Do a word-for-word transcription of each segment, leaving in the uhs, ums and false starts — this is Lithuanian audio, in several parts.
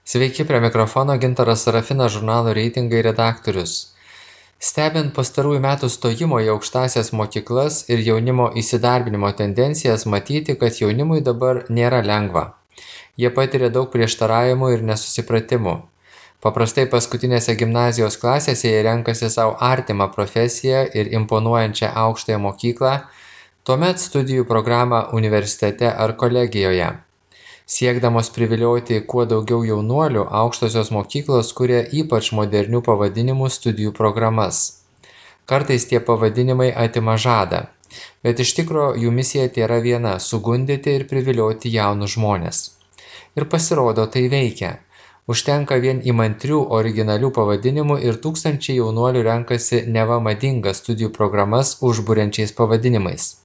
Sveiki, prie mikrofono Gintaras Sarafinas, žurnalo reitingai redaktorius. Stebint pastarųjų metų stojimo į aukštąsias mokyklas ir jaunimo įsidarbinimo tendencijas, matyti, kad jaunimui dabar nėra lengva. Jie patiria daug prieštaravimų ir nesusipratimų. Paprastai paskutinėse gimnazijos klasėse jie renkasi savo artimą profesiją ir imponuojančią aukštąją mokyklą, tuomet studijų programą universitete ar kolegijoje. Siekdamos privilioti kuo daugiau jaunuolių, aukštosios mokyklos kuria ypač modernių pavadinimų studijų programas. Kartais tie pavadinimai atima žadą, bet iš tikro jų misija tėra viena - sugundyti ir privilioti jaunus žmones. Ir pasirodo, tai veikia. Užtenka vien įmantrių originalių pavadinimų ir tūkstančiai jaunuolių renkasi neva madingas studijų programas užburiančiais pavadinimais.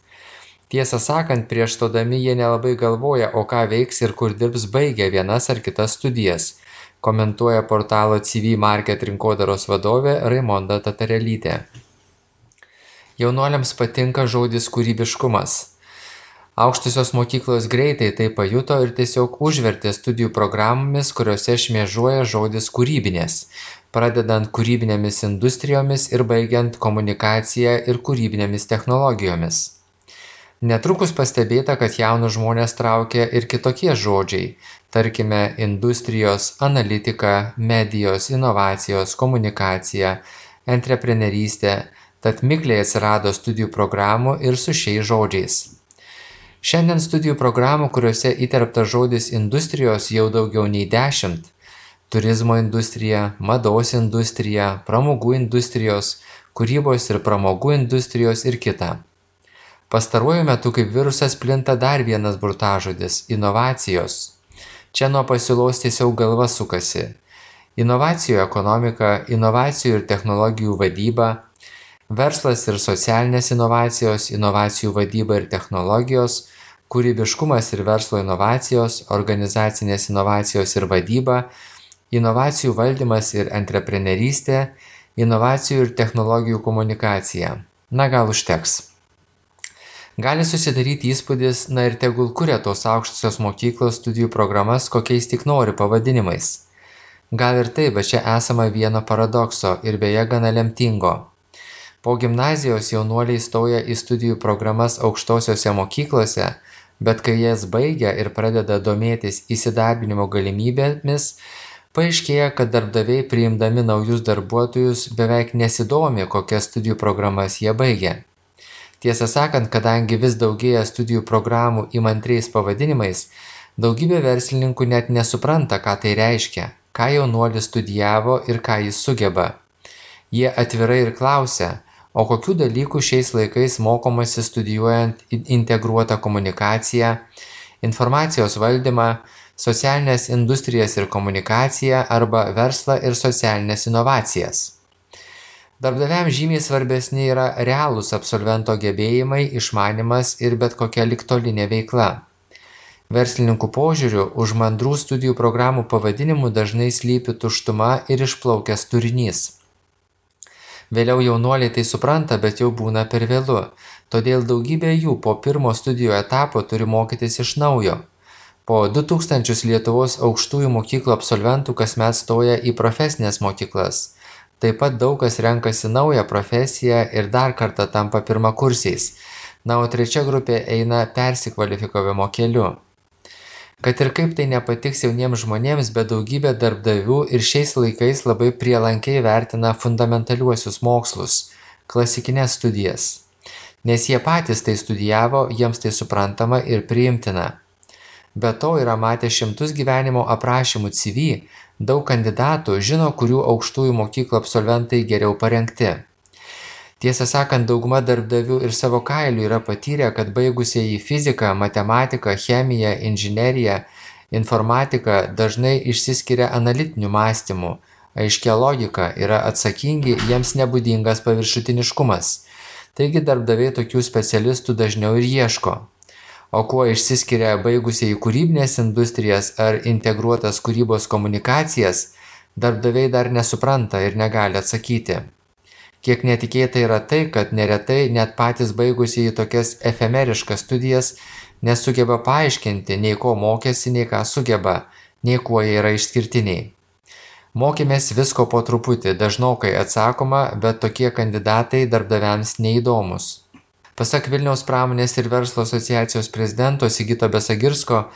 Tiesą sakant, prieš stodami jie nelabai galvoja, o ką veiks ir kur dirbs baigę vienas ar kitas studijas, komentuoja portalo C V Market rinkodaros vadovė Raimonda Tatarelytė. Jaunuoliams patinka žodis kūrybiškumas. Aukštosios mokyklos greitai tai pajuto ir tiesiog užvertė studijų programomis, kuriuose šmėžuoja žodis kūrybinės, pradedant kūrybinėmis industrijomis ir baigiant komunikaciją ir kūrybinėmis technologijomis. Netrukus pastebėta, kad jaunus žmonės traukia ir kitokie žodžiai, tarkime, industrijos, analitika, medijos, inovacijos, komunikacija, antreprenerystė, tad mikliai atsirado studijų programų ir su šiais žodžiais. Šiandien studijų programų, kuriuose įterptas žodis industrijos jau daugiau nei dešimt. Turizmo industrija, mados industrija, pramogų industrijos, kūrybos ir pramogų industrijos ir kita. Pastaruoju metu kaip virusas plinta dar vienas burtažodis – inovacijos. Čia nuo pasiūlos tiesiog galva sukasi. Inovacijų ekonomika, inovacijų ir technologijų vadyba, verslas ir socialinės inovacijos, inovacijų vadyba ir technologijos, kūrybiškumas ir verslo inovacijos, organizacinės inovacijos ir vadyba, inovacijų valdymas ir antreprenerystė, inovacijų ir technologijų komunikacija. Na gal užteks. Gali susidaryti įspūdis, na ir tegul kuria tos aukštosios mokyklos studijų programas kokiais tik nori pavadinimais. Gal ir taip, bet čia esama vieno paradokso ir beje gana lemtingo. Po gimnazijos jaunuoliai stoja į studijų programas aukštosiose mokyklose, bet kai jas baigia ir pradeda domėtis įsidarbinimo galimybėmis, paaiškėja, kad darbdaviai priimdami naujus darbuotojus beveik nesidomi, kokias studijų programas jie baigia. Tiesą sakant, kadangi vis daugėja studijų programų įmantriais pavadinimais, daugybė verslininkų net nesupranta, ką tai reiškia, ką jaunuolis studijavo ir ką jis sugeba. Jie atvirai ir klausia, o kokių dalykų šiais laikais mokomasi studijuojant integruotą komunikaciją, informacijos valdymą, socialinės industrijas ir komunikaciją arba verslą ir socialinės inovacijas. Darbdaviams žymiai svarbesni yra realūs absolvento gebėjimai, išmanymas ir bet kokia ligtolinė veikla. Verslininkų požiūriu, už mandrų studijų programų pavadinimų dažnai slypi tuštuma ir išplaukęs turinys. Vėliau jaunuoliai tai supranta, bet jau būna per vėlu, todėl daugybė jų po pirmo studijų etapo turi mokytis iš naujo. Po du tūkstančius Lietuvos aukštųjų mokyklų absolventų kasmet stoja į profesines mokyklas. Taip pat daug kas renkasi naują profesiją ir dar kartą tampa pirmakursiais, na, o trečia grupė eina persikvalifikavimo keliu. Kad ir kaip tai nepatiks jauniems žmonėms, bet daugybė darbdavių ir šiais laikais labai prielankiai vertina fundamentaliuosius mokslus, klasikines studijas. Nes jie patys tai studijavo, jiems tai suprantama ir priimtina. Be to yra matę šimtus gyvenimo aprašymų C V, daug kandidatų žino, kurių aukštųjų mokyklų absolventai geriau parengti. Tiesą sakant, dauguma darbdavių ir savo kailių yra patyrę, kad baigusieji fiziką, matematiką, chemiją, inžineriją, informatiką dažnai išsiskiria analitiniu mąstymu, aiškia logika, yra atsakingi, jiems nebūdingas paviršutiniškumas. Taigi darbdaviai tokių specialistų dažniau ir ieško. O kuo išsiskiria baigusieji kūrybinės industrijas ar integruotas kūrybos komunikacijas, darbdaviai dar nesupranta ir negali atsakyti. Kiek netikėta yra tai, kad neretai net patys baigusieji tokias efemeriškas studijas nesugeba paaiškinti, nei ko mokėsi, nei ką sugeba, nei kuo jie yra išskirtiniai. Mokėmės visko po truputį, dažnokai atsakoma, bet tokie kandidatai darbdaviams neįdomus. Pasak Vilniaus pramonės ir verslo asociacijos prezidento Sigito Besagirsko,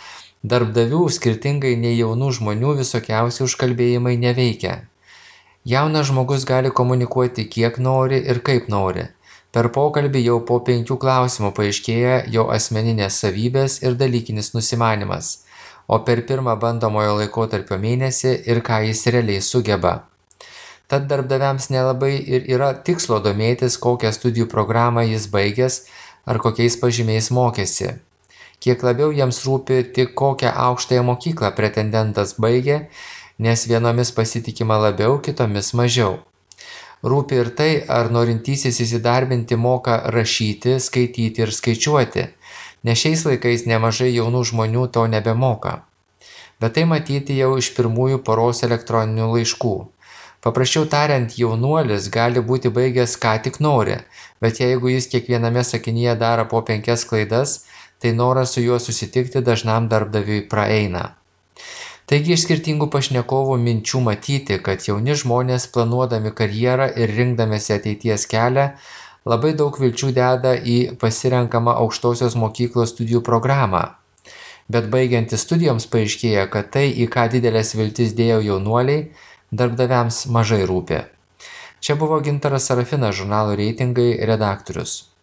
darbdavių skirtingai nei jaunų žmonių visokiausi užkalbėjimai neveikia. Jaunas žmogus gali komunikuoti kiek nori ir kaip nori. Per pokalbį jau po penkių klausimų paaiškėja jo asmeninės savybės ir dalykinis nusimanimas, o per pirmą bandomojo laikotarpio mėnesį ir ką jis realiai sugeba. Tad darbdaviams nelabai ir yra tikslo domėtis, kokią studijų programą jis baigęs ar kokiais pažymiais mokėsi. Kiek labiau jiems rūpi tik kokią aukštąją mokyklą pretendentas baigė, nes vienomis pasitikima labiau, kitomis mažiau. Rūpi ir tai, ar norintysis įsidarbinti moka rašyti, skaityti ir skaičiuoti, nes šiais laikais nemažai jaunų žmonių to nebemoka. Bet tai matyti jau iš pirmųjų poros elektroninių laiškų. Paprasčiau tariant, jaunuolis gali būti baigęs ką tik nori, bet jeigu jis kiekviename sakinyje daro po penkias klaidas, tai noras su juo susitikti dažnam darbdaviui praeina. Taigi iš skirtingų pašnekovų minčių matyti, kad jauni žmonės planuodami karjerą ir rinkdamėsi ateities kelią labai daug vilčių deda į pasirenkamą aukštosios mokyklos studijų programą. Bet baigiantis studijoms paaiškėja, kad tai, į ką didelės viltis dėjo jaunuoliai, darbdaviams mažai rūpi. Čia buvo Gintaras Sarafinas, žurnalo Reitingai redaktorius.